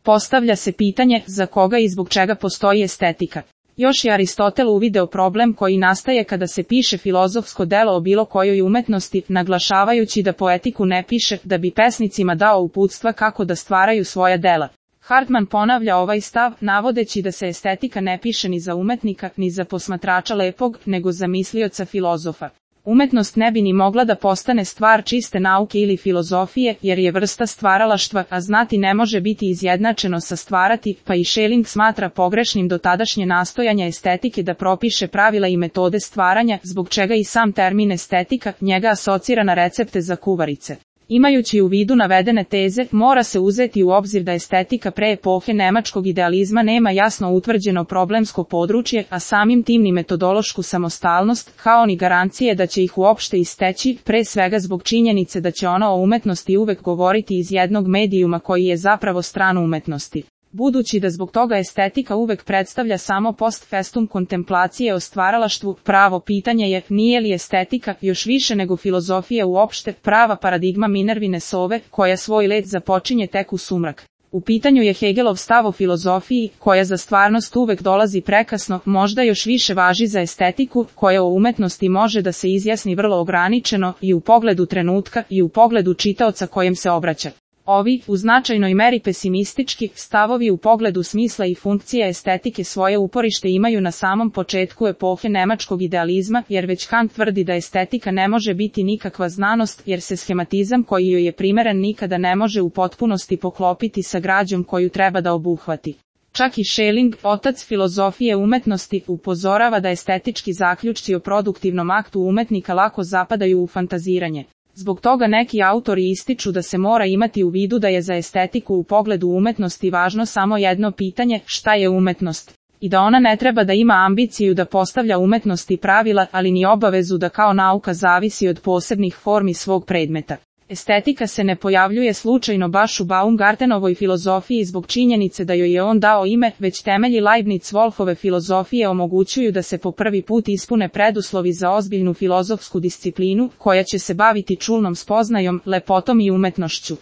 Postavlja se pitanje za koga i zbog čega postoji estetika. Još je Aristotel uvideo problem koji nastaje kada se piše filozofsko delo o bilo kojoj umetnosti, naglašavajući da poetiku ne piše da bi pesnicima dao uputstva kako da stvaraju svoja dela. Hartman ponavlja ovaj stav, navodeći da se estetika ne piše ni za umetnika, ni za posmatrača lepog, nego za mislioca filozofa. Umetnost ne bi ni mogla da postane stvar čiste nauke ili filozofije, jer je vrsta stvaralaštva, a znati ne može biti izjednačeno sa stvarati, pa i Schelling smatra pogrešnim dotadašnje nastojanja estetike da propiše pravila i metode stvaranja, zbog čega i sam termin estetika njega asocira na recepte za kuvarice. Imajući u vidu navedene teze, mora se uzeti u obzir da estetika pre epohe nemačkog idealizma nema jasno utvrđeno problemsko područje, a samim tim ni metodološku samostalnost, kao ni garancije da će ih uopšte isteći, pre svega zbog činjenice da će ona o umetnosti uvek govoriti iz jednog medijuma koji je zapravo stran umetnosti. Budući da zbog toga estetika uvek predstavlja samo post festum kontemplacije o stvaralaštvu, pravo pitanje je, nije li estetika, još više nego filozofija uopšte, prava paradigma Minervine sove, koja svoj let započinje tek u sumrak. U pitanju je Hegelov stav o filozofiji, koja za stvarnost uvek dolazi prekasno, možda još više važi za estetiku, koja o umetnosti može da se izjasni vrlo ograničeno, i u pogledu trenutka, i u pogledu čitaoca kojem se obraća. Ovi, u značajnoj meri pesimistički, stavovi u pogledu smisla i funkcije estetike svoje uporište imaju na samom početku epohe nemačkog idealizma, jer već Kant tvrdi da estetika ne može biti nikakva znanost, jer se schematizam koji joj je primeren nikada ne može u potpunosti poklopiti sa građom koju treba da obuhvati. Čak i Schelling, otac filozofije umetnosti, upozorava da estetički zaključci o produktivnom aktu umetnika lako zapadaju u fantaziranje. Zbog toga neki autori ističu da se mora imati u vidu da je za estetiku u pogledu umetnosti važno samo jedno pitanje, šta je umetnost, i da ona ne treba da ima ambiciju da postavlja umetnosti pravila, ali ni obavezu da kao nauka zavisi od posebnih formi svog predmeta. Estetika se ne pojavljuje slučajno baš u Baumgartenovoj filozofiji zbog činjenice da joj je on dao ime, već temelji Leibniz-Wolfove filozofije omogućuju da se po prvi put ispune preduslovi za ozbiljnu filozofsku disciplinu, koja će se baviti čulnom spoznajom, lepotom i umetnošću.